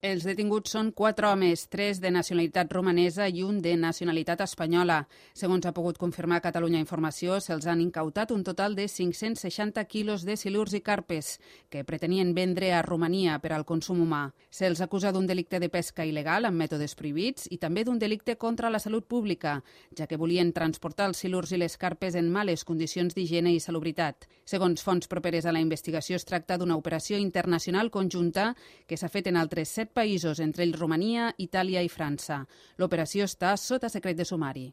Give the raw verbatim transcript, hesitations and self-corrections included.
Els detinguts són quatre homes, tres de nacionalitat romanesa i un de nacionalitat espanyola. Segons ha pogut confirmar Catalunya Informació, se'ls han incautat un total de cinc-cents seixanta quilos de silurs i carpes que pretenien vendre a Romania per al consum humà. Se'ls acusa d'un delicte de pesca il·legal amb mètodes prohibits i també d'un delicte contra la salut pública, ja que volien transportar els silurs i les carpes en males condicions d'higiene i salubritat. Segons fonts properes a la investigació, es tracta d'una operació internacional conjunta que s'ha fet en altres set països, entre ells Romania, Itàlia i França. L'operació està sota secret de sumari.